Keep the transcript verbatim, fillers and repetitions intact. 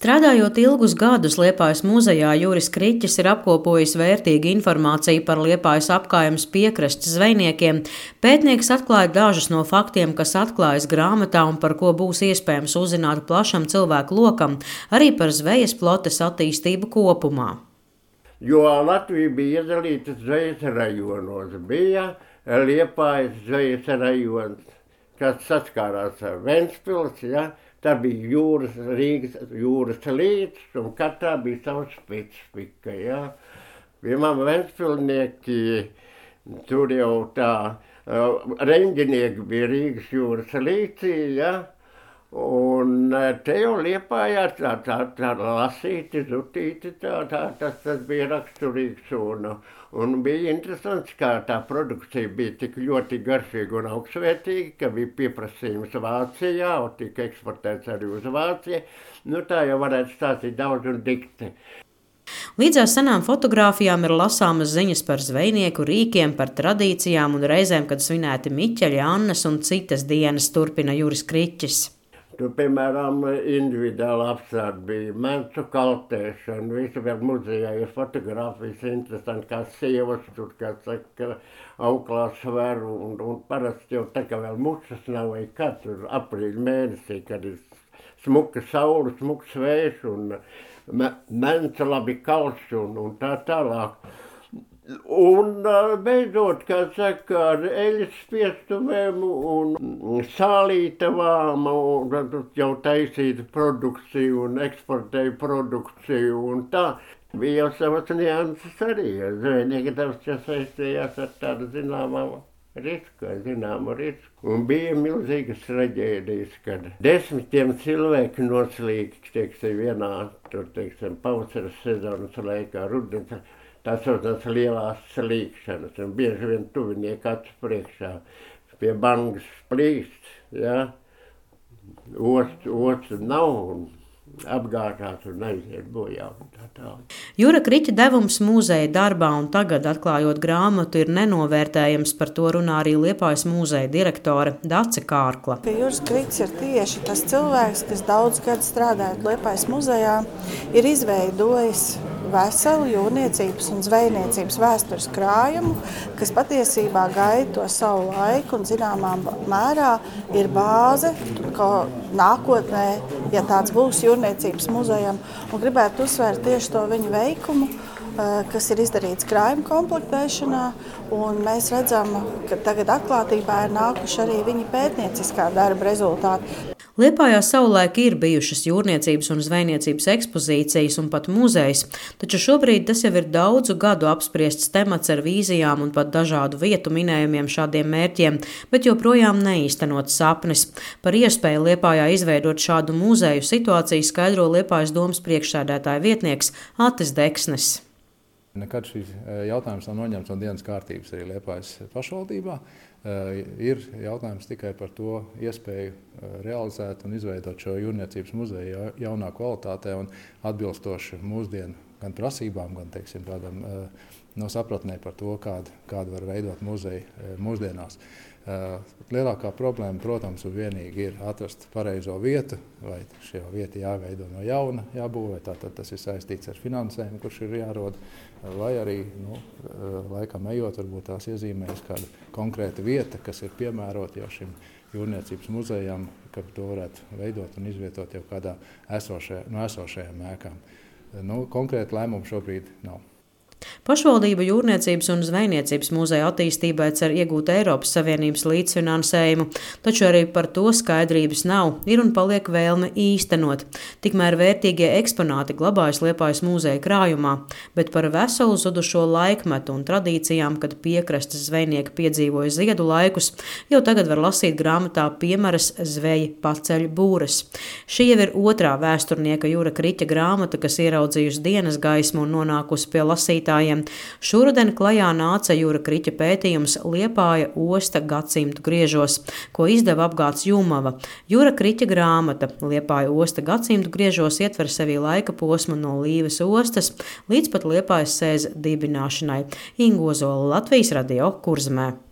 Strādājot ilgus gadus Liepājas muzejā, Juris Kriķis ir apkopojis vērtīgu informāciju par Liepājas apkaimes piekrastes zvejniekiem. Pētnieks atklāja dažus no faktiem, kas atklājas grāmatā un par ko būs iespējams uzzināt plašam cilvēku lokam, arī par zvejas flotes attīstību kopumā. Jo Latvija bija iedalīta zvejas rajonos. Bija Liepājas zvejas rajons, kas saskārās ar Ventspils, ja? Tā bija jūras, Rīgas jūras līcis, un katrā bija sava specifika. Ja? Piemēram, Ventspilnieki, tur jau tā, reņģinieki bija Rīgas jūras līcī, ja? Un te jau Liepājā tā, tā, tā lasīti, zutīti, tā, tā, tas, tas bija raksturīgs. Un, un bija interesants, kā tā produkcija bija tik ļoti garšīga un augstsvērtīga, ka bija pieprasījums Vācijā, un tika eksportēts arī uz Vāciju. Nu, tā jau varētu stāstīt daudz un dikti. Līdzās senām fotogrāfijām ir lasāmas ziņas par zvejnieku rīkiem, par tradīcijām un reizēm, kad svinēti Miķeļa, Annas un citas dienas, turpina Juris Kriķis. Tur, piemēram, individuāli apstākļi bija mencu kaltēšana, visi vēl muzejā ir fotogrāfijas interesanti, kā sievas tur, kā saka, auklās sver, un, un parasti jau tā kā vēl mušas nav, vai kā tur aprīļa mēnesī, kad ir smuka saule, smuks vējš, un me, menca labi kalš, un, un tā tālāk. Un beidzot, kā saka, ar eļas spiestuvēm un sālītavām un jau taisīta produkciju un eksportēja produkciju un tā. Bija jau savas nianses arī. Zvejnieki daudz saistījās ar tādu zināmā risku, zināmu risku. Un bija milzīgas traģēdijas, kad desmitiem cilvēku noslīgt, teiksim, vienā, tur, teiksim, pavasara sezonas laikā, rudens. Tā saucās lielās slīkšanas, un bieži vien tuvinieki acu priekšā pie bangas plīst, ja, ostu, ostu nav un apgāžās un aiziet bojā un tā tālāk. Jura Kriķa devums muzeja darbā un tagad, atklājot grāmatu, ir nenovērtējams, par to runā arī Liepājas muzeja direktore Dace Kārkla. Juris Kriķis ir tieši tas cilvēks, kas daudz gadu strādājot Liepājas muzejā, ir izveidojis veselu jūrniecības un zvejniecības vēstures krājumu, kas patiesībā gaida to savu laiku un zināmā mērā ir bāze, ko nākotnē, ja tāds būs jūrniecības muzejam, un gribētu uzsvērt tieši to viņu veikumu, kas ir izdarīts krājuma komplektēšanā, un mēs redzam, ka tagad atklātībā ir nākuši arī viņa pētnieciskā darba rezultāti. Liepājā savulaik ir bijušas jūrniecības un zvejniecības ekspozīcijas un pat muzejs, taču šobrīd tas jau ir daudzu gadu apspriests temats ar vīzijām un pat dažādu vietu minējumiem šādiem mērķiem, bet joprojām neīstenots sapnis. Par iespēju Liepājā izveidot šādu muzeju situāciju skaidro Liepājas domas priekšsēdētāja vietnieks Atis Deksnis. Nekad šis jautājums nav noņemts no dienas kārtības arī Liepājas pašvaldībā. Ir jautājums tikai par to iespēju realizēt un izveidot šo jūrniecības muzeju jaunā kvalitātē un atbilstoši mūsdienu gan prasībām, gan, teiksim, tādam no sapratnē par to, kādu, kādu var veidot muzeju mūsdienās. Lielākā problēma, protams, un vienīgi ir atrast pareizo vietu, vai šī vieta jāveido no jauna, jābūvē, tātad tas ir saistīts ar finansējumu, kurš ir jārod, vai arī, nu, laikam ejot, varbūt tās iezīmējas kāda konkrēta vieta, kas ir piemērota jau šim jūrniecības muzejam, ka to varētu veidot un izvietot jau kādā esošajā, no esošajām ēkām. Nu, konkrēti lēmumu šobrīd nav. Pašvaldība jūrniecības un zvejniecības muzeja attīstībai cer iegūt Eiropas Savienības līdzfinansējumu, taču arī par to skaidrības nav, ir un paliek vēlme īstenot. Tikmēr vērtīgie eksponāti glabājas Liepājas muzeja krājumā, bet par veselu zudušo laikmetu un tradīcijām, kad piekrastes zvejnieki piedzīvoja ziedu laikus, jau tagad var lasīt grāmatā Piemaras zveji paceļ būres. Šī jau ir otrā vēsturnieka Jura Kriķa grāmata, kas ieraudzījusi dienas gaismu un nonākusi pie lasītājiem. Šoruden klajā nāca Jura Kriķa pētījums Liepāja osta gadsimtu griežos, ko izdeva apgāds Jumava. Jura Kriķa grāmata Liepāja osta gadsimtu griežos ietver sevī laika posmu no Līves ostas līdz pat Liepājas sēza dibināšanai. Inga Ozola, Latvijas radio, Kurzemē.